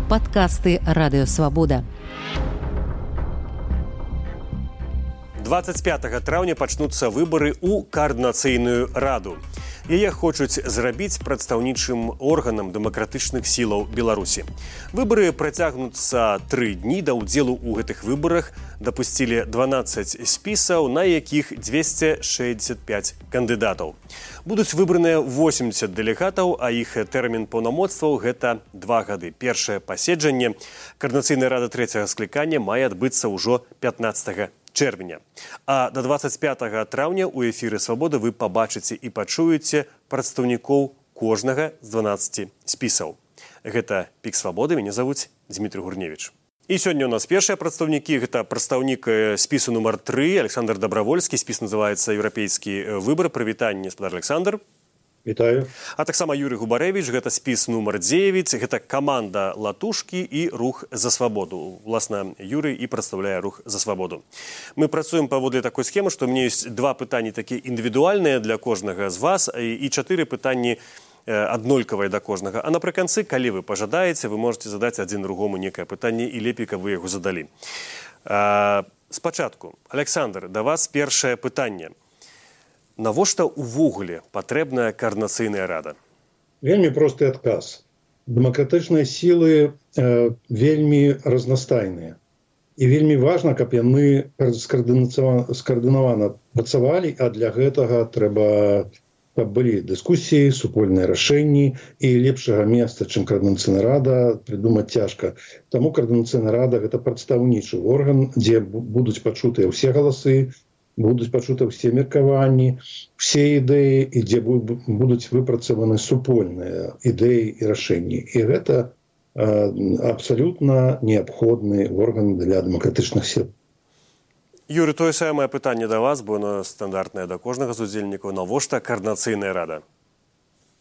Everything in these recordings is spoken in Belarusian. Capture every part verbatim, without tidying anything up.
Падкасты Радыё Свабода. двадцать пятага траўня пачнуцца выбары ў каардынацыйную раду. Яе хочуць зрабіць прадстаўнічым органам дэмакратычных сілаў Беларусі. Выбары працягнуцца тры дні. Да ўдзелу ў гэтых выбарах дапусцілі дванаццаць спісаў, на якіх дзвесце шэсцьдзесят пяць кандыдатаў. Будуць выбраныя восемьдесят дэлегатаў, а іх тэрмін паўнамоцтваў гэта два гады. Першае паседжанне каардынацыйнай рады трэцяга склікання мае адбыцца ўжо пятнаццатага чэрвеня. А да двадцать пятага траўня ў эфіры «Свабода» вы пабачыце і пачуеце прадстаўнікоў кожнага з дванаццаці спісаў. Гэта «Пік Свабоды», мяне завуць Дмітрий Гурневич. І сёння у нас першыя прадстаўнікі. Гэта прадстаўнік спісу нумар тры, Александр Добровольскі. Спіс называецца «Еўрапейскі выбар». Прывітанне, гаспадар Александр. Вітаю. А таксама Юрий Губарэвіч, гэта спіс нумар дзевяць, гэта каманда Латушкі і рух за свабоду. Уласна, Юрий і прадстаўляе рух за свабоду. Мы працуем паводле такой схемы, што ў мяне ёсць два пытанні такія індывідуальныя для кожнага з вас і чатыры пытанні аднолькавыя да кожнага. А напрыканцы, калі вы пажадаеце, вы можете задаць адзін другому некае пытанне і лепей, каб вы яго задалі. А, спачатку, Александр, да вас першае пытанне. Навошта ўвогуле патрэбная каардынацыйная рада? Вельмі просты адказ. Дэмакратычныя сілы э, вельмі разнастайныя. І вельмі важна, каб яны скаардынавана працавалі, а для гэтага трэба, каб былі дыскусіі, супольныя рашэнні, і лепшага месца, чым каардынацыйная рада, прыдумаць цяжка. Таму каардынацыйная рада – гэта прадстаўнічы орган, дзе будуць пачутыя ўсе галасы, будуць пачуты ўсе меркаванні, ўсе ідэі, і дзе будуць выпрацаваны супольныя ідэі і рашэнні. І гэта э, абсалютна неабходны орган для дэмакратычных сіл. Юрий, тое самае пытанне да вас, бо оно стандартнае да кожнага з удзельнікаў. Навошта каардынацыйная рада?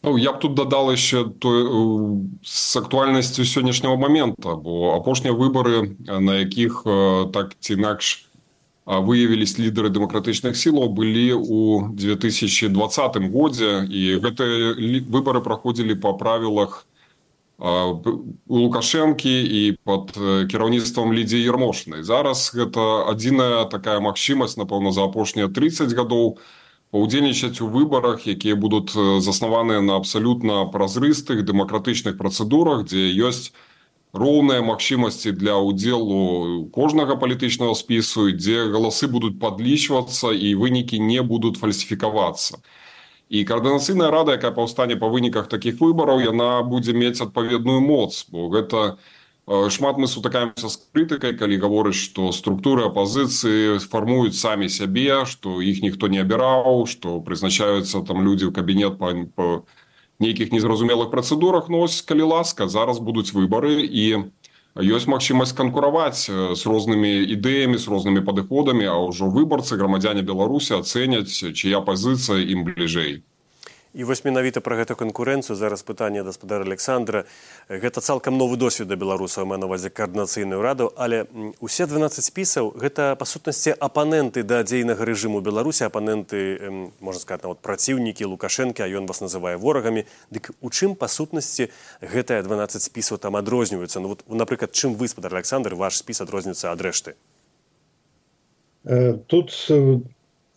Ну, я б тут дадал еще то, с актуальнасцю сённяшняго момента, бо апошнія выбары, на якіх так ці інакш выявились лидеры демократичных сил, были у две тысячи двадцатым годзе, и гэтыя выборы проходили по правилах Лукашенки и под кіраўніцтвам Лідзіі Ярмошынай. Зараз гэта адзіная такая магчымасць, напэўна, за апошнія тридцать гадоў паўдзельнічаць у выбарах, якія будуць заснаваныя на абсалютна празрыстых дэмакратычных працэдурах, дзе ёсць роўныя магчымасці для ўдзелу кожнага палітычнага спісу, дзе галасы будуць падлічвацца і вынікі не будуць фальсіфікавацца. І каардынацыйная рада, якая паўстане па выніках такіх выбараў, яна будзе мець адпаведную моц, бо гэта шмат мы сутыкаемся з крытыкай, калі гаворыць, што структуры апазіцыі фармуюць самі сябе, што іх ніхто не абіраў, што прызначаюцца там людзі ў кабінет па, па нейкіх незразумелых працэдурах, но ось, калі ласка, зараз будуць выбары і ёсць магчымасць канкураваць з рознымі ідэямі, з рознымі падыходамі, а ўжо выбарцы, грамадзяне Беларусі ацэняць, чыя пазіцыя ім бліжэй. І вось менавіта пра гэту канкурэнцыю зараз пытанне гаспадара Александра. Гэта цалкам новы досвед для беларусаў, маю на ўвазе каардынацыйную раду, але усе дванаццаць спісаў гэта па сутнасці апаненты да дзейнага рэжыму Беларусі, апаненты, можна сказаць, нават праціўнікі Лукашэнкі, а ён вас называе ворагамі. Дык у чым па сутнасці гэтыя дванаццаць спісаў там адрозніваюцца? Ну вот, напрыклад, чым вы, гаспадар Александр, ваш спіс адрозніваецца ад рэшты? Тут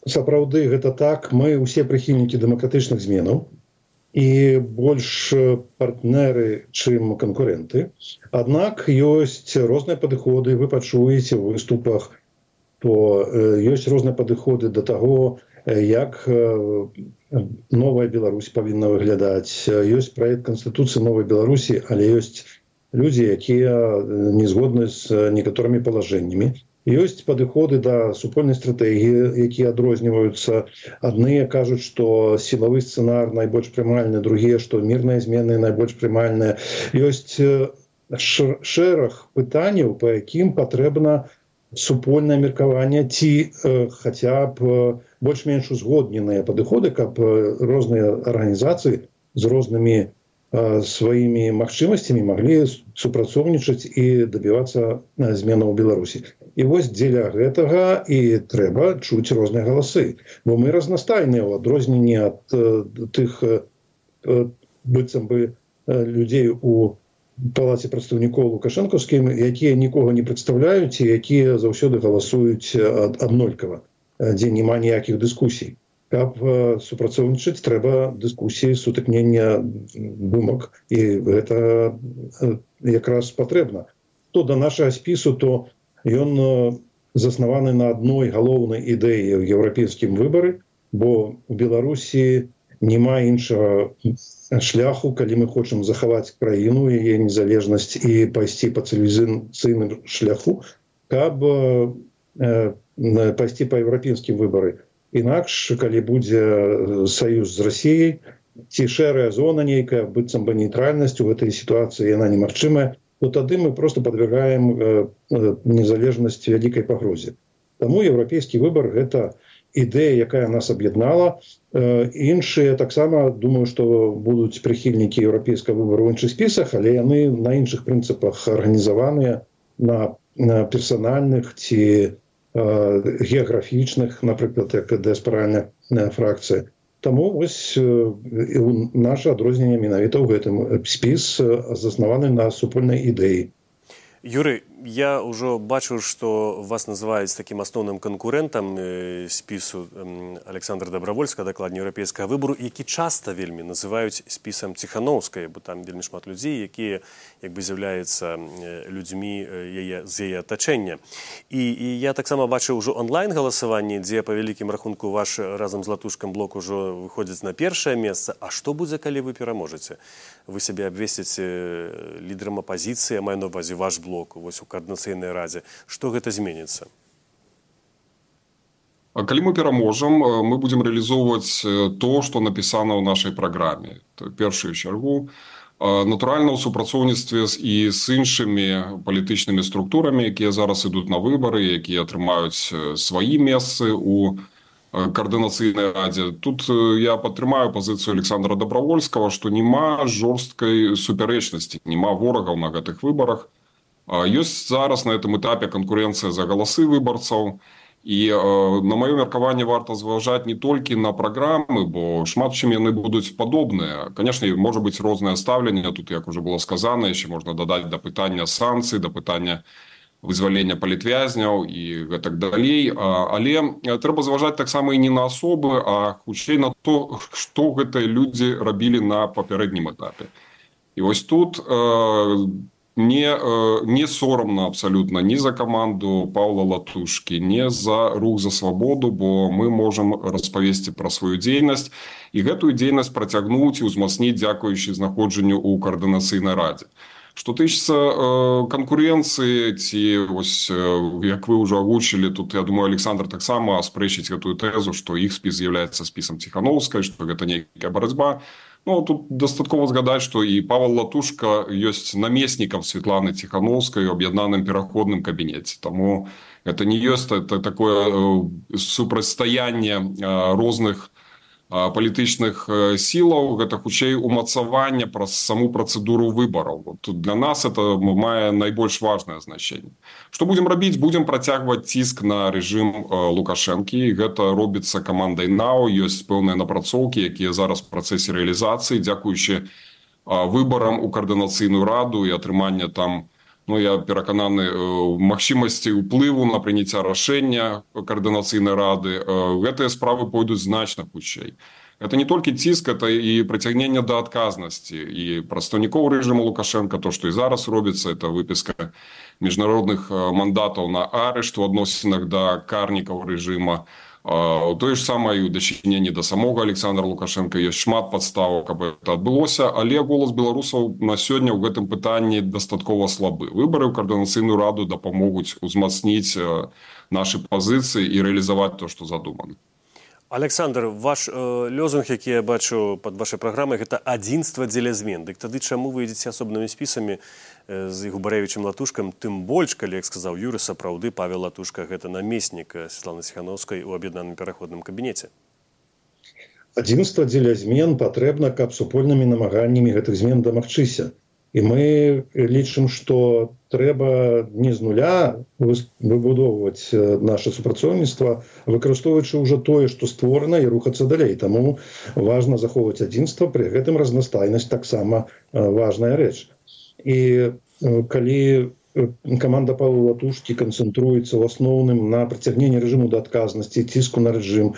сапраўды гэта так, мы ўсе прыхільнікі дэмакратычных зменаў і больш партнеры, чым канкурэнты. Аднак ёсць розныя падыходы, вы пачуеце ў выступах, то ёсць розныя падыходы да таго, як новая Беларусь павінна выглядаць. Ёсць праект Канстытуцыі новай Беларусі, але ёсць людзі, якія не згодны з некаторымі палажэннямі. Ёсць падыходы да супольнай стратэгіі, якія адрозніваюцца. Адныя кажуць, што сілавы сцэнар найбольш прымальны, другія, што мірныя змены найбольш прымальныя. Ёсць шэраг пытанняў, па якім патрэбна супольнае меркаванне ці хаця б больш-менш узгодненыя падыходы, каб розныя арганізацыі з рознымі сваімі магчымасцямі маглі супрацоўнічаць і дабівацца зменаў у Беларусі. І вось дзеля гэтага і трэба чуць розныя галасы. Бо мы разнастайныя ў адрозненні ад тых быццам бы людзей у палаце прадстаўнікоў лукашэнкаўскім, якія нікога не прадстаўляюць і якія заўсёды галасуюць аднолькава, дзе няма ніякіх дыскусій. Каб супрацоўнічаць, трэба дыскусіі, сутыкнення думак, і гэта якраз патрэбна. То да нашага спісу, то ён заснаваны на адной галоўнай ідэі ў еўрапейскім выбары, бо у Беларусі няма іншага шляху, калі мы хочам захаваць краіну, яе незалежнасць і пайсці па цывілізацыйным шляху, каб пайсці па еўрапейскім выбары. Інакш, калі будзе саюз з Расіяй, ці шэрая зона нейкая, быццам бы нейтральнасць у гэтай сітуацыі, яна немагчымая, то тады мы просто падвергаем незалежнасць вялікай пагрозе. Таму еўрапейскі выбар – гэта ідэя, якая нас аб'яднала. Іншыя таксама, думаю, што будуць прыхільнікі еўрапейскага выбару ў іншых спісах, але яны на іншых прынцыпах арганізаваныя, на персанальных ці геаграфічных, напрыклад, як дыяспаральная фракцыя. Таму вось наша адрозненне менавіта ў гэтым. Спіс заснаваны на супольнай ідэі. Юрый, я ўжо бачу, што вас называюць такім асноўным канкурэнтам спісу Александра Добравольска, дакладней еўрапейскага выбару, які часта вельмі называюць спісам Ціханаўскай, бо там вельмі шмат людзей, якія як бы з'яўляюцца людзьмі яе, з яе атачэння. І, і я таксама бачыў ужо онлайн-галасаванне, дзе па вялікім рахунку ваш разам з Латушкам блок ужо выходзіць на першае месца. А што будзе, калі вы пераможаце? Вы сябе абвесціце лідарам апазіцыі, маю на ўвазе ваш блок, вось у Координацыйнай радзе. Што гэта зменіцца? Калі мы пераможам, мы будзем рэалізоўваць то, што напісана ў нашай праграме. Першую чаргу, натуральна, ў супрацоўніцтве і з іншымі палітычнымі структурамі, якія зараз ідуць на выбары, якія атрымаюць свае месцы ў Координацыйнай радзе. Тут я падтрымаю пазіцыю Александра Добравольскага, што няма жорсткай супярэчнасці, няма ворагаў на гэтых выбарах. Ёсць зараз на гэтым этапе канкурэнцыя за галасы выбарцаў. І, на маё меркаванне, варта зважаць не толькі на праграмы, бо шмат чым яны будуць падобныя. Канешне, можа быць рознае стаўленне, тут, як ужо было сказана, яшчэ можна дадаць да пытання санкцый, да пытання вызвалення палітвязняў і гэтак далей. Але трэба зважаць таксама і не на асобы, а хутчэй на то, што гэтыя людзі рабілі на папярэднім этапе. І вось тут не, не сорамна абсалютна ні за каманду Паўла Латушкі, ні за рух за свабоду, бо мы можам распавесці пра сваю дзейнасць і гэтую дзейнасць працягнуць і ўзмацніць дзякуючы знаходжанню ў Координацыйнай радзе. Што тычыцца канкурэнцыі, ці, вось, як вы ўжо агучылі, тут, я думаю, Александр таксама спрэчыць гэтую тэзу, што іх спіс з'яўляецца спісам Ціханаўскай, што гэта нейкая барацьба. Ну, тут дастаткова згадаць, што і Павел Латушка ёсць намеснікам Светланы Ціханаўскай у аб'яднаным пераходным кабінеце. Таму гэта не ёсць такое супрацьстаянне розных палітычных сілаў, гэта хутчэй умацаванне праз саму працэдуру выбараў. Тут для нас это мае найбольш важнае значэнне. Што будзем рабіць? Будзем працягваць ціск на рэжым Лукашэнкі. Гэта робіцца камандай НАУ. Ёсць пэўныя напрацоўкі, якія зараз в працэсе рэалізацыі, дзякуючы выбарам у Координацыйную раду і атрымання там, ну, я перакананы, магчымасці ўплыву на прыняцця рашэння Координацыйнай рады. Гэтыя справы пойдуць значна хутчэй. Гэта не толькі ціск, это і прыцягненне да адказнасці. І прадстаўнікоў рэжыму Лукашэнка, то, што і зараз робіцца, это выпіска міжнародных мандатаў на арышт у адносінах да карнікаў рэжыма. Тое ж самае і ў дачыненні да самога Александра Лукашэнка ёсць шмат падстаў, каб гэта адбылося, але голас беларусаў на сёння ў гэтым пытанні дастаткова слабы. Выбары ў Координацыйную раду дапамогуць узмацніць нашы пазіцыі і рэалізаваць то, што задумана. Александр, ваш э, лозунг, які я бачу пад вашай праграмай, гэта адзінства дзеля змен. Дык тады чаму вы ідзеце асобнымі спісамі э, з Губаревічам Латушкам, тым больш, калі, як сказаў Юры, сапраўды Павел Латушка гэта намеснік Светланы Ціханаўскай у аб'яднаным пераходным кабінеце? Адзінства дзеля змен патрэбна, каб супольнымі намаганнямі гэтых змен дамагчыся. І мы лічым, што трэба не з нуля выбудоўваць наше супрацоўніцтва, выкарыстоўваючы ўжо тое, што створана, і рухацца далей. Таму важна захоўваць адзінства, пры гэтым разнастайнасць таксама важная рэч. і калі команда Павла Латушкі канцэнтруецца ў асноўным на прыцягненні рэжыму да адказнасці, ціску на рэжым,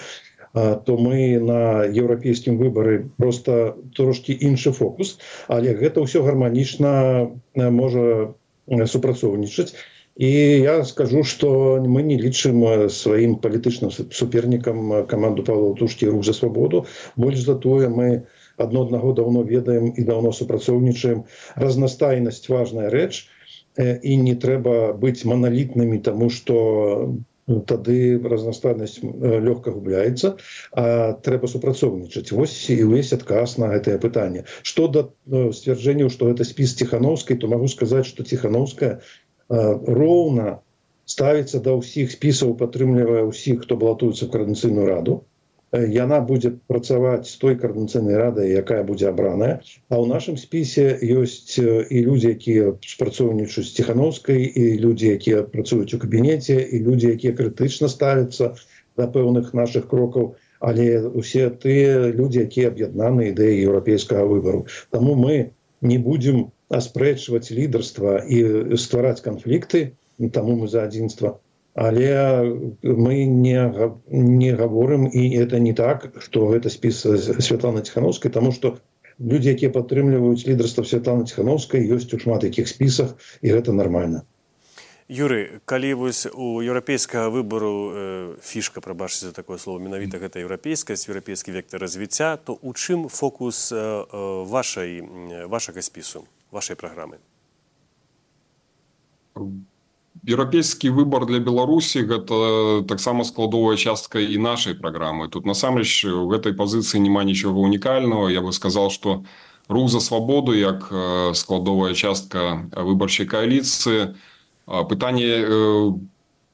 то мы на еўрапейскім выбары просто трошки іншы фокус, але гэта ўсё гарманічна можа супрацоўнічаць. І я скажу, што мы не лічым сваім палітычным супернікам каманду Павла Латушкі «Рух за свабоду». Больш за тое, мы адно аднаго даўно ведаем і даўно супрацоўнічаем. Разнастайнасць важная рэч, і не трэба быць маналітнымі, таму што тады разнастайнасць лёгка губляецца, а трэба супрацоўнічаць. Вось і ўвесь адказ на гэтае пытанне. Што да сцвярджэнняў, што гэта спіс Ціханаўскай, то магу сказаць, што Ціханаўская роўна ставіцца да ўсіх спісаў, падтрымлівае ўсіх, хто балатуецца ў Коордынацыйную раду. Яна будзе працаваць з той Коордынацыйнай радай, якая будзе абраная. А ў нашым спісе ёсць і людзі, якія спрацоўнічаюць з Ціханаўскай, і людзі, якія працуюць у кабінеце, і людзі, якія крытычна ставяцца да пэўных нашых крокаў, але ўсе тыя людзі, якія аб'яднаны ідэяй еўрапейскага выбару. Таму мы не будзем аспрэчваць лідарства і ствараць канфлікты, таму мы за адзінства. Але мы не, не говорим, і это не так, што гэта спіс Святланы Ціханаўскай, таму што людзі, якія падтрымліваюць лідарства Святланы Ціханаўскай, ёсць у шмат якіх спісах, і гэта нармальна. Юрый, калі вось у еўрапейскага выбару э, фішка, прабачце за такое слово, менавіта гэта еўрапейскасць, еўрапейскі вектар развіцця, то у чым фокус э, вашай, вашага спісу, вашай праграмы? Еўрапейскі выбар для Беларусі гэта таксама складовая частка і нашай праграмы. Тут насамрэч у гэтай пазіцыі няма нічога унікальнага. Я бы сказал, што Рух за свабоду як складовая частка выбарчай кааліцыі пытанне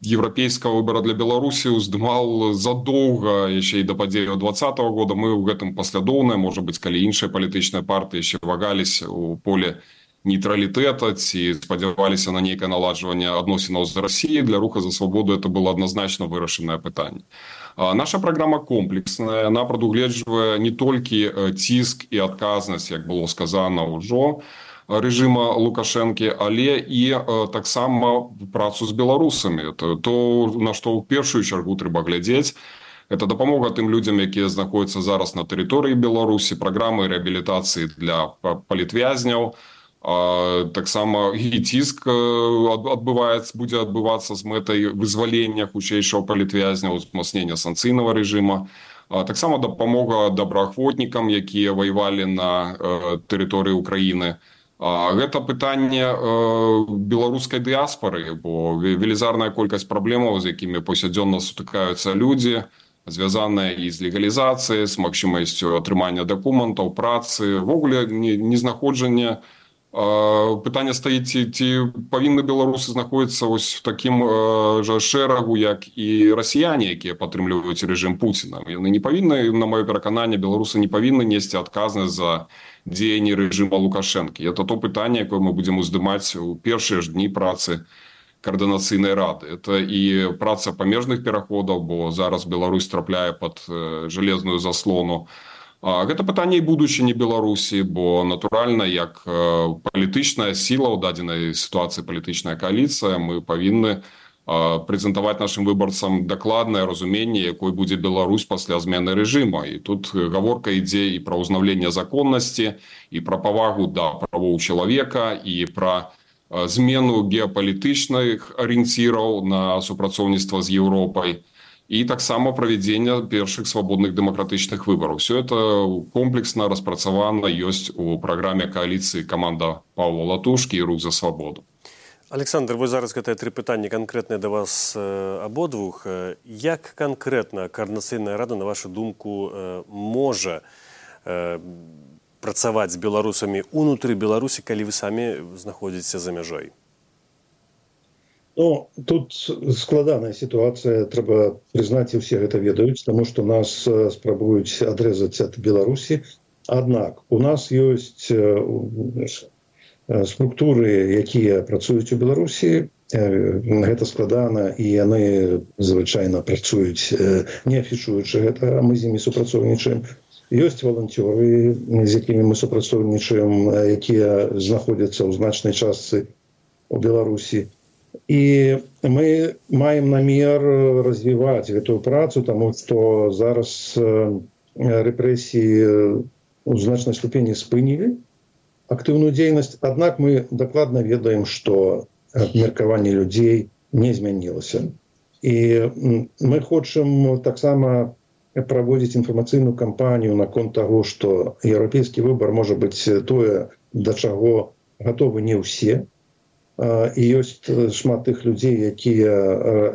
еўрапейскага выбара для Беларусі уздымал задоўга яшчэ і да падзеяў двадцатага года. Мы ў гэтым паслядоўныя, можа быць, калі іншыя палітычныя партыі яшчэ вагаліся ў поле нейтралітэта ці спадзяваліся на нейкае наладжванне адносінаў з Расіяй, для Руха за свабоду это было адназначна вырашанае пытанне. Наша праграма комплексная, яна прадугледжвае не толькі ціск і адказнасць, як было сказана ўжо, рэжыма Лукашэнкі, але і таксама працу з беларусамі. То, то на што ў першую чаргу трэба глядзець, это дапамога тым людзям, якія знаходзяцца зараз на тэрыторыі Беларусі, праграмы рэабілітацыі для палітвязняў, таксама і ціск адбываецца, будзе адбывацца з мэтай вызвалення хутчэйшага палітвязня, узмацнення санкцыйнага рэжыма, таксама дапамога добраахвотнікам, якія ваявалі на тэрыторыі Украіны. Гэта пытанне беларускай дыяспары, бо велізарная колькасць праблемаў, з якімі паўсядзённа сутыкаюцца людзі, звязаная і з легалізацыяй, з магчымасцю атрымання дакументаў, працы, ввогуле незнаходжання. Пытанне стаіць, ці, ці павінны беларусы знаходзіцца вось в такім жа шэрагу, як і расіяне, якія падтрымліваюць рэжым Пуціна. Яны не павінны, на маё перакананне, беларусы не павінны несці адказнасць за дзеянні рэжыма Лукашэнкі. Это то пытанне, якое мы будзем уздымаць у першыя ж дні працы Коордынацыйнай рады. Это і праца памежных пераходаў, бо зараз Беларусь трапляе пад жалезную заслону. Гэта пытанне і будучыні Беларусі, бо натуральна, як палітычная сіла ў дадзенай сітуацыі, палітычная кааліцыя, мы павінны прэзентаваць нашым выбарцам дакладнае разуменне, якой будзе Беларусь пасля змены рэжыма. І тут гаворка ідзе і пра ўзнаўленне законнасці, і пра павагу да правоў чалавека, і пра змену геапалітычных арыенціраў на супрацоўніцтва з Еўропай, і таксама правядзення першых свабодных дэмакратычных выбараў. Все это комплексна распрацавана ёсць у праграме кааліцыі каманда Павла Латушкі і Рух за свабоду. Александр, вы зараз гэтыя тры пытанні канкрэтныя да вас абодвух. Як канкрэтна Коордынацыйная рада, на вашу думку, можа працаваць з беларусамі унутры Беларусі, калі вы самі знаходзіцеся за мяжой? Ну, тут складаная сітуацыя, трэба прызнаць, і ўсе гэта ведаюць, таму што нас спрабуюць адрэзаць ад Беларусі. Аднак у нас ёсць структуры, якія працуюць у Беларусі, гэта складана, і яны звычайна працуюць, не афішуючы гэта, а мы з імі супрацоўнічаем. Ёсць валанцёры, з якімі мы супрацоўнічаем, якія знаходзяцца ў значнай частцы у Беларусі. І мы маем намер развіваць гэтую працу, таму што зараз рэпрэсіі у значнай ступені спынілі актыўную дзейнасць. Аднак мы дакладна ведаем, што меркаванне людзей не змянілася. І мы хочам таксама праводзіць інфармацыйную кампанію наконт таго, што еўрапейскі выбар можа быць тое, да чаго гатовы не ўсе. І ёсць шмат тых людзей, якія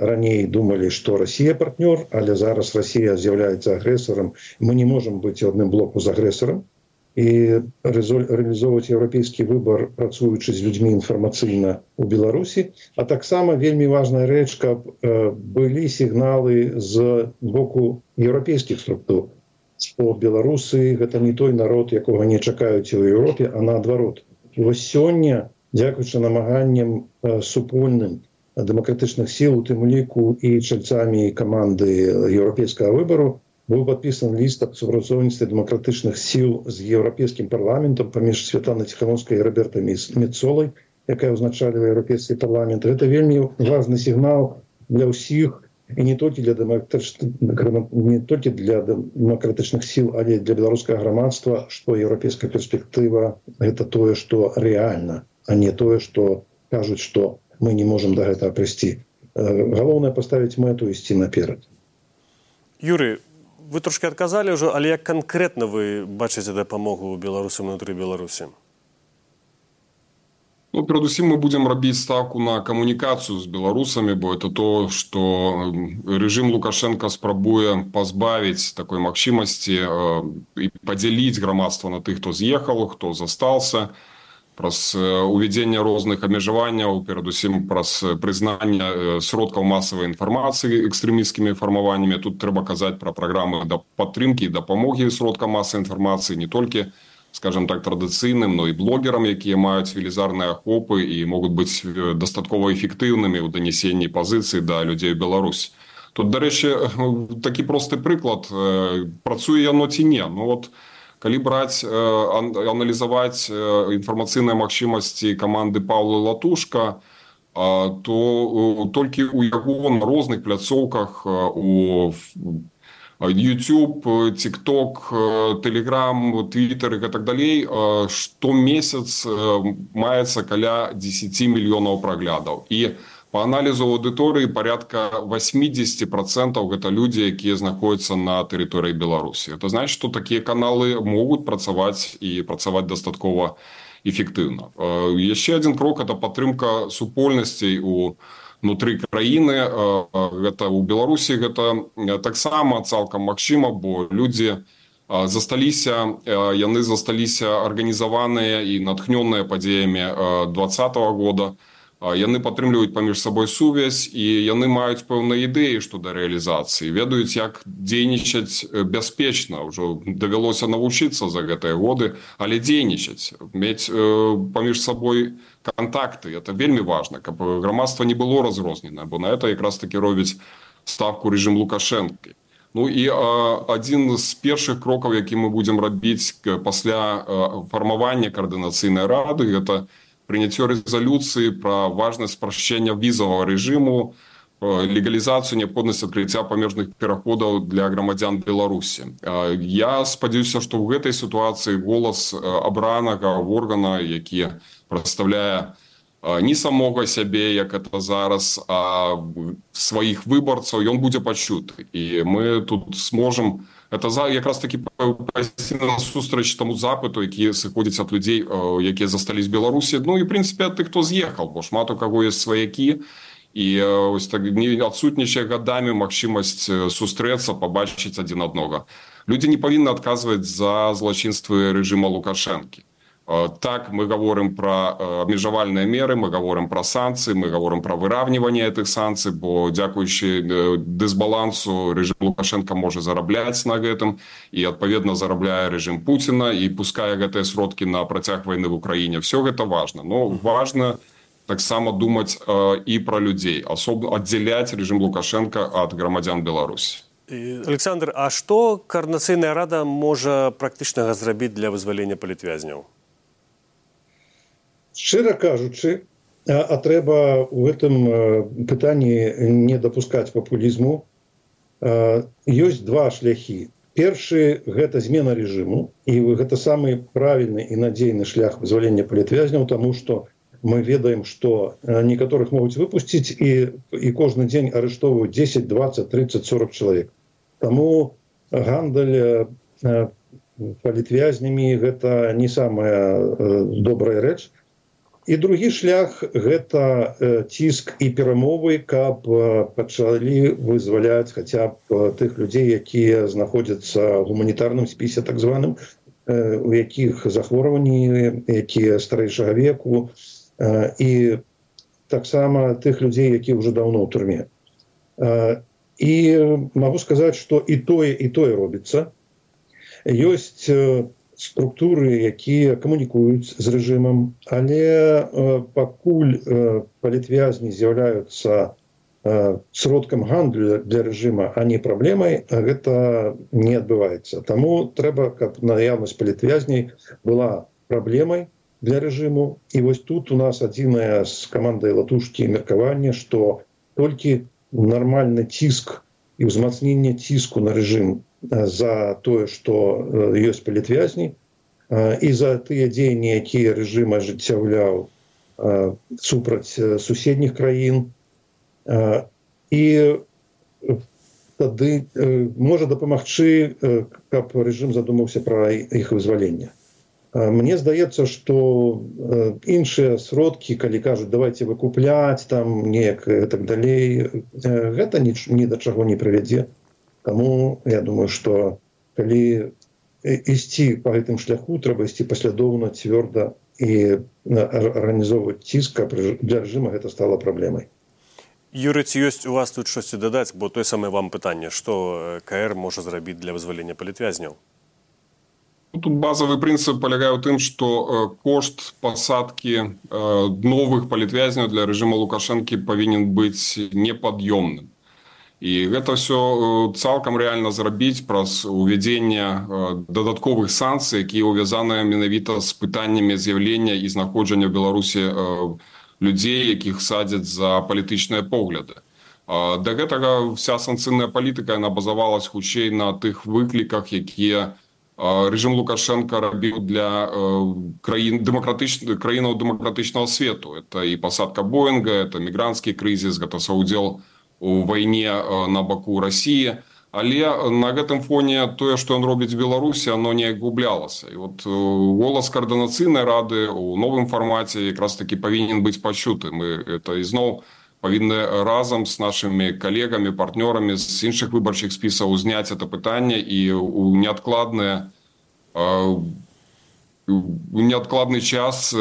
раней думалі, што Расія партнёр, але зараз Расія з'яўляецца агрэсарам. Мы не можам быць у адным блоку з агрэсарам і рэалізоўваць еўрапейскі выбар, працуючы з людзьмі інфармацыйна ў Беларусі. А таксама вельмі важная рэч, каб былі сігналы з боку еўрапейскіх структур, што беларусы гэта не той народ, якога не чакаюць у Еўропе, а наадварот. І вось сёння, дзякуючы намаганням супольным дэмакратычных сіл, у тым ліку і чальцамі каманды еўрапейскага выбару, быў падпісан ліст аб супрацоўніцтве дэмакратычных сіл з еўрапейскім парламентам паміж Святланай Ціхановскай і Робертай Мецолай, якая ўзначальвае еўрапейскі парламент. Гэта вельмі важны сігнал для ўсіх, і не толькі для дэмакратычных, не толькі для дэмакратычных сіл, але для беларускага грамадства, што еўрапейская перспектыва гэта тое, што рэальна, а не тое, што кажуць, што мы не можам да гэтага прыйсці. Галоўнае паставіць мэту і ісці наперад. Юрый, вы трошки адказалі ўжо, але як канкрэтна вы бачыце дапамогу беларусам унутры Беларусі? Ну, перадусім мы будзем рабіць ставку на камунікацыю з беларусамі, бо это то, што рэжым Лукашенка спрабуе пазбавіць такой магчымасці і падзяліць грамадства на тых, хто з'ехаў, хто застаўся, праз увядзенне розных абмежаванняў, перадусім праз прызнанне сродкаў масавай інфармацыі экстрэмісцкімі фармаваннямі. Тут трэба казаць пра праграмы падтрымкі і дапамогі сродкам масавай інфармацыі не толькі, скажем так, традыцыйным, но і блогерам, якія маюць велізарныя ахопы і могуць быць дастаткова эфектыўнымі ў данесенні пазіцый да людзей Беларусь. Тут, дарэчы, такі просты прыклад, працуе яно ці не. Ну вот, калі браць, аналізаваць інфармацыйныя магчымасці каманды Паўла Латушка, то толькі ў яго на розных пляцоўках, у YouTube, TikTok, Telegram, Twitter і так далей, штомесяц маецца каля дзесяць мільёнаў праглядаў. І по аналізу аўдыторыі порядка восемьдесят процентов гэта людзі, якія знаходзяцца на тэрыторыі Беларусі. Это значит, што такія каналы могуць працаваць і працаваць дастаткова эфектыўна. Яшчэ адзін крок – это падтрымка супольнасцей унутры краіны. Гэта ў Беларусі гэта таксама цалкам магчыма, бо людзі засталіся, яны засталіся арганізаваныя і натхнёныя падзеямі двадцатого года. Яны падтрымліваюць паміж сабой сувязь, і яны маюць пэўныя ідэі што да рэалізацыі, ведаюць, як дзейнічаць бяспечна. Ужо давялося навучыцца за гэтыя годы, але дзейнічаць, мець паміж сабой кантакты. Это вельмі важна, каб грамадства не было разрознена, бо на это якраз таки робіць ставку рэжым Лукашэнкі. Ну і адзін з першых крокаў, які мы будзем рабіць пасля фармавання каардынацыйнай рады, гэта прыняццё рэзалюцыі пра важнасць спрашчэння візавага рэжыму, легалізацыю, неабходнасць адкрыцця памежных пераходаў для грамадзян Беларусі. Я спадзяюся, што ў гэтай сітуацыі голас абранага органа, які прадстаўляе не самога сябе, як это зараз, а сваіх выбарцаў, ён будзе пачуты. І мы тут сможам это якраз таки пайсці насустрач таму запыту, які сыходзіць ад людзей, якія застались в Беларусі. Ну і, в прынцыпе, ад тых, хто з'ехаў, бо шмат у каго ёсць сваякі, і ось так не адсутнічае гадамі магчымасць сустрэцца, пабачыць адзін аднога. Людзі не павінны адказваць за злачынствы рэжыма Лукашэнкі. Так, мы говорим про абмежавальныя меры, мы говорим про санкции, мы говорим про выравнивание этих санкций, бо дзякуючы дысбалансу рэжым Лукашенко можа зарабляць на гэтым, і адпаведна зарабляе рэжым Пуціна і пускае гэтыя сродкі на працяг вайны в Украіне. Все гэта важно, но важно таксама думаць і про людзей, асобна аддзяляць рэжым Лукашенко ад грамадзян Беларусі. Александр, а што Координацыйная рада можа практычнага зрабіць для вызвалення палітвязняў? Шчыра кажучы, а трэба ў гэтым пытанні не дапускаць папулізму. Ёсць два шляхі. Першы – гэта змена рэжыму, і гэта самы правільны і надзейны шлях вызвалення палітвязняў, таму што мы ведаем, што некаторых могуць выпусціць і, і кожны дзень арыштоўваюць дзесяць, дваццаць, трыццаць, сорок чалавек. Таму гандаль палітвязнямі – гэта не самая добрая рэч. І другі шлях – гэта ціск і перамовы, каб пачалі вызваляць хаця б тых людзей, якія знаходзяцца ў гуманітарным спісе так званым, у якіх захворванні, якія старэйшага веку, і таксама тых людзей, якія ўжо даўно ў турме. І магу сказаць, што і тое, і тое робіцца. Ёсць структуры, якія камунікуюць з рэжымам, але пакуль палітвязні з'яўляюцца сродкам гандлю для рэжыма, а не праблемай, гэта не адбываецца. Таму трэба, каб наяўнасць палітвязней была праблемай для рэжыму. І вось тут у нас адзінае з камандай Латушкі меркаванне, што толькі нармальны ціск і ўзмацненне ціску на рэжым за тое, што ёсць палітвязні, і за тыя дзеянні, якія рэжым ажыццяўляў супраць суседніх краін. І тады можа дапамагчы, каб рэжым задумаўся пра іх вызваленне. Мне здаецца, што іншыя сродкі, калі кажуць, давайте выкупляць, там неяк і так далей, гэта ні да чаго не прывядзе. Таму я думаю, што калі ісці па гэтым шляху, трэба ісці паслядоўна, цвёрда і арганізоўваць ціск, каб для рэжыма гэта стала праблемай. Юрый, ці ёсць у вас тут штосьці дадаць, бо тое самае вам пытанне, што КР можа зрабіць для вызвалення палітвязняў? Тут базовый принцип полягае ў тым, што кошт пасадкі новых палітвязняў для рэжыма Лукашэнкі павінен быць непад'ёмным. І гэта ўсё цалкам рэальна зрабіць праз увядзенне дадатковых санкцый, якія ўвязаныя менавіта з пытаннямі з'яўлення і знаходжання ў Беларусі людзей, якіх садзяць за палітычныя погляды. Да гэтага вся санкцыйная палітыка яна базавалась хутчэй на тых выкліках, якія рэжым Лукашенко рабіў для краін дэмакратычных краінаў дэмакратычнага свету. Это і пасадка Боінга, это мігранцкі крызіс, гэта саўдзел у вайне на баку Расіі. Але на гэтым фоне тое, што ён робіць в Беларусі, оно неяк гублялася. І от голас Координацыйнай рады у новым фармаце якраз таки павінен быць пачуты. Мы это ізноў павінны разам з нашымі калегамі, партнёрамі з іншых выбарчых спісаў узняць это пытанне і у неадкладны, у неадкладны час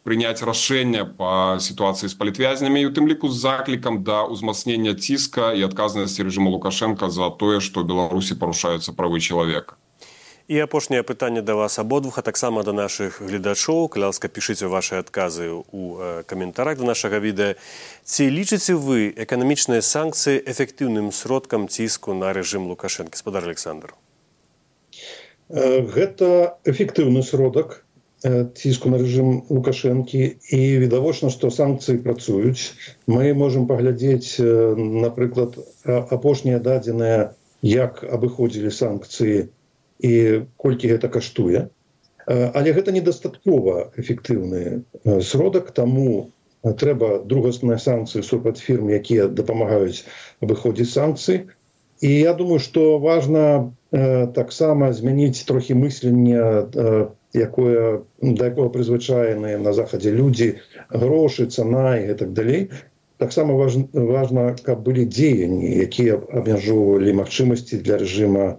прыняць рашэнне па сітуацыі з палітвязнямі і у тым ліку з заклікам да ўзмацнення ціска і адказнасці рэжыму Лукашенка за тое, што ў Беларусі парушаюцца правы чалавека. І апошняе пытанне да вас абодвух, а таксама да нашых гледачоў. Калі ласка, пішыце вашы адказы ў каментарах да нашага відэа. Ці лічыце вы эканамічныя санкцыі эфектыўным сродкам ціску на рэжым Лукашэнкі? Спадар Александр. Гэта эфектыўны сродак ціску на рэжым Лукашэнкі і відавочна, што санкцыі працуюць. Мы можам паглядзець, напрыклад, апошнія дадзеныя, як абыходзілі санкцыі і колькі гэта каштуе. Але гэта недастаткова эфектыўны сродак, таму трэба другасныя санкцыі супраць фірм, якія дапамагаюць абыходзіць санкцыі. І я думаю, што важна таксама змяніць трохі мысленне, якое, да якога прызвычаеныя на захадзе людзі, грошы, цана і гэтак далей. Таксама важна, важна, каб былі дзеянні, якія абмяжоўвалі магчымасці для рэжыма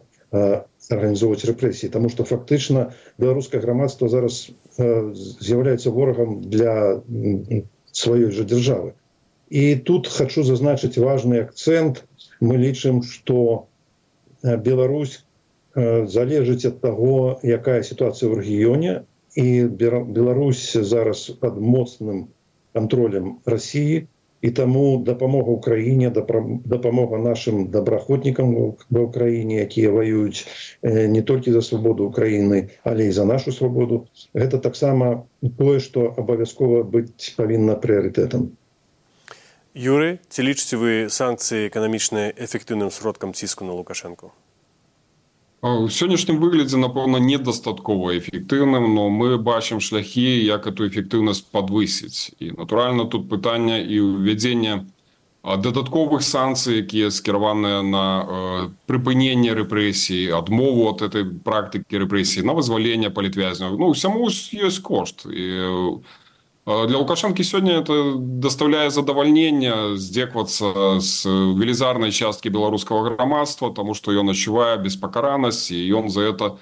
арганізоўваць рэпрэсіі, таму што фактычна беларускае грамадства зараз з'яўляецца ворагам для сваёй жа дзяржавы. І тут хачу зазначыць важны акцэнт. Мы лічым, што Беларусь залежыць ад таго, якая сітуацыя ў рэгіёне, і Беларусь зараз пад моцным кантролем Расіі, І таму дапамога ўкраіне, дапамога нашым добраахвотнікам ва ўкраіне, якія ваююць не толькі за свабоду ўкраіны, але і за нашу свабоду, гэта таксама тое, што абавязкова быць павінна прыярытэтам. Юрый, ці лічыце вы санкцыі эканамічныя эфектыўным сродкам ціску на Лукашэнку? У сённяшнім выглядзе, напэўна, недастаткова эфектыўным, но мы бачым шляхі, як эту эфектыўнасць падвысіць. І, натуральна, тут пытанне і ўвядзення дадатковых санкцый, якія скіраваныя на э, прыпыненне рэпрэсій, адмову ад этой практыкі рэпрэсій, на вызваленне палітвязняў. Ну, усяму ёсць кошт. І для Лукашэнкі сёння это даставляе задавальненне здзеквацца з велізарнай часткі беларускага грамадства, таму што ён адчувае беспакаранасць, і ён за это,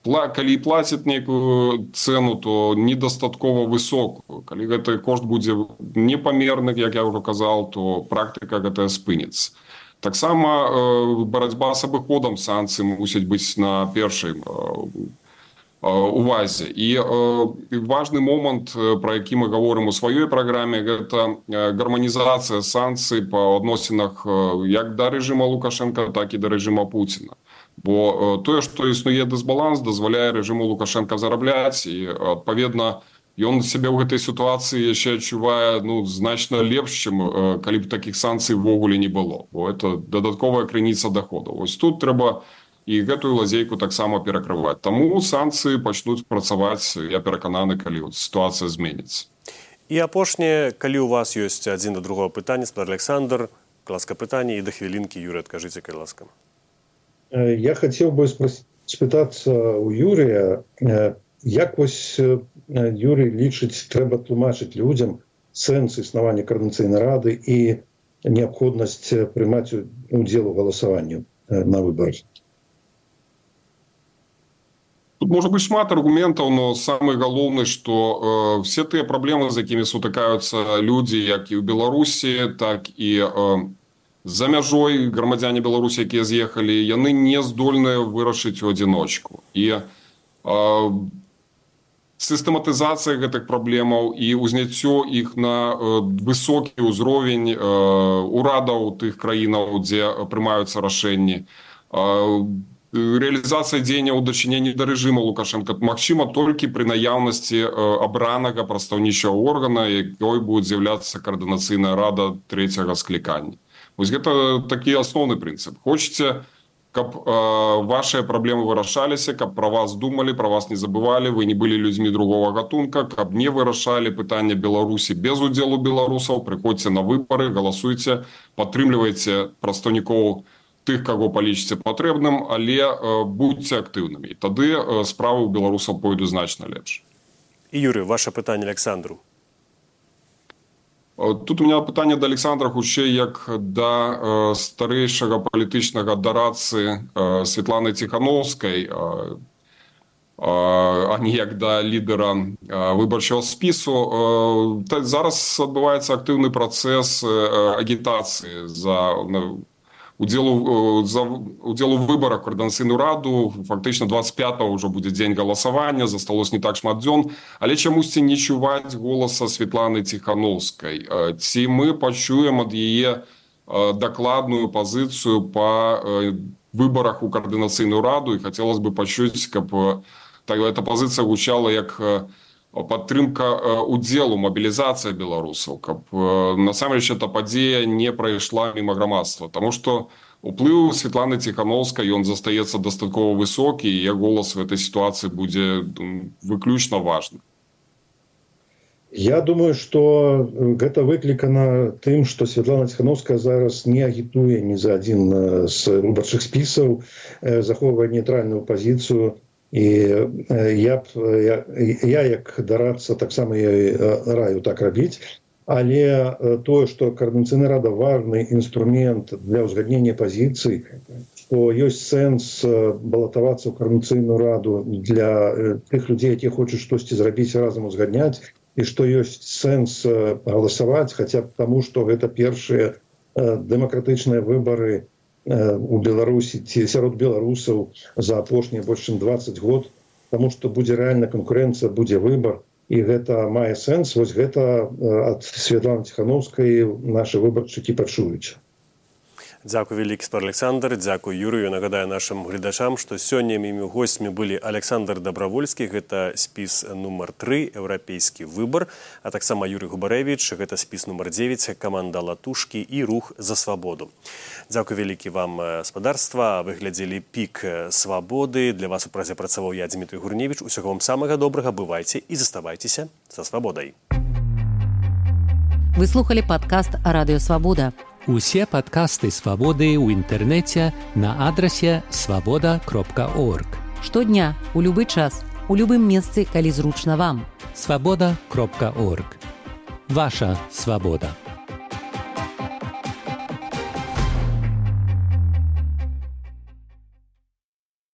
калі плаціць нейкую цэну, то недастаткова высокую. Калі гэты кошт будзе непамерны, як я ўжо казаў, то практыка гэтая спыніцца. Таксама барацьба з абыходам санкцый мусіць быць на першай увазе. І важны момант, пра які мы гаворым у сваёй праграме, гэта гарманізацыя санкцый па адносінах як да рэжыма Лукашэнка, так і да рэжыма Пуціна. Бо тое, што існуе дысбаланс, дазваляе рэжыму Лукашэнка зарабляць, і, адпаведна, ён сябе ў гэтай сітуацыі яшчэ адчувае ну, значна лепш, чым калі б такіх санкцый ўвогуле не было. Бо это дадатковая крыніца даходаў. Вось тут трэба і гэтую лазейку таксама перакрываць. Таму санкцыі пачнуць працаваць, я перакананы, калі сітуацыя зменіцца. І апошняе, калі ў вас ёсць адзін да другого пытання, спадар Александр, ласка пытанне, і да хвілінкі, Юрый, адкажыце, калі ласка. Я хацеў бы спытацца ў Юрыя, як вось Юрый лічыць, трэба тлумачыць людзям сэнс існавання Коордынацыйнай рады і неабходнасць прымаць удзел у галасаванні на выбарах. Тут можа быць шмат аргументаў, но самы галоўны, што э, все тыя праблемы, з якімі сутыкаюцца людзі, як і ў Беларусі, так і э, за мяжой грамадзяне Беларусі, якія з'ехалі, яны не здольныя вырашыць у адзіночку. І э, сістэматызацыя гэтых праблемаў і ўзняццё іх на э, высокі ўзровень э, урадаў тых краінаў, дзе прымаюцца рашэнні, э, реализация дзеянняў у дачыненні да рэжыма Лукашэнка магчыма толькі пры наяўнасці абранага прадстаўнічага органа, якой будзе з'яўляцца Коордынацыйная рада трэцяга склікання. Вось гэта такі асноўны прынцып. Хочаце, каб э, вашыя праблемы вырашаліся, каб пра вас думалі, пра вас не забывалі, вы не былі людзьмі другого гатунка, каб не вырашалі пытання Беларусі без удзелу беларусаў, прыходзьце на выбары, галасуйце, падтрымлівайце прадстаўнікоў тых, каго палічыце патрэбным, але э, будьце актыўнымі. І тады э, справы ў беларусаў пойдуць значна лепш. І, Юрый, ваше пытанне Александру. Э, тут у меня пытанне да Александра хутчэй як да э, старэйшага палітычнага дарадцы э, Светланы Ціхановскай, э, э, а не як да лідера э, выбарчага спісу. Э, зараз адбываецца актыўны працэс э, агітацыі за удзелу за удзел у выбарах Коордынацыйную раду. Фактычна двадцать пятого ўжо будзе дзень галасавання, засталось не так шмат дзён, але чамусьці не чуваць голаса Светланы Ціхановскай. Ці мы пачуем ад яе дакладную пазіцыю па выбарах у Коордынацыйную раду, і хацелось бы пачуць, каб эта пазіцыя гучала як падтрымка удзелу, мабілізацыя беларусаў, каб насамрэч эта падзея не прайшла міма грамадства. Таму што уплыў Светланы Ціхановскай, ён застаецца дастаткова высокі, і яе голас в этой сітуацыі будзе выключна важны. Я думаю, што гэта выклікана тым, што Светлана Ціхановская зараз не агітуе ні за адзін з выбарчых спісаў, захоўвае нейтральную пазіцыю. І я, я, я як дарадца таксама раю так рабіць, але тое, што Коордынацыйная рада важны інструмент для ўзгаднення пазіцый, што ёсць сэнс балатавацца ў Коордынацыйную раду для тых людзей, якія хочуць штосьці зрабіць разам узгадняць, і што ёсць сэнс галасаваць, хаця б таму, што гэта першыя дэмакратычныя выбары у Беларусі ці сярод беларусаў за апошнія больш чым дваццаць год, таму што будзе рэальна канкурэнцыя, будзе выбар. і гэта мае сэнс. Вось гэта ад Святланы Ціхановскай нашы выбаршчыкі пачуюць. Дзякуй вялікі, спар Александр, дзякуй Юрыю. Нагадаю нашим гледачам, што сёння мімі госцямі былі Александр Дабравольскі, гэта спіс нумар тры, еўрапейскі выбар, а таксама Юрый Губарэвіч, гэта спіс нумар дзевяць, каманда Латушкі і рух за свабоду. Дзякуй вялікі вам, спадарства. Вы глядзелі «Пік свабоды». Для вас у празе працаваў я, Дмітрий Гурневіч. Усяго вам самага добрага, бывайце і заставайцеся са свабодай. Вы слухали падкаст «Радыё Свабода». Усе падкасты «Свабоды» ў інтэрнэце на адрасе свабода кропка орг. Штодня, у любы час, у любым месцы, калі зручна вам. свабода кропка орг. Ваша свабода.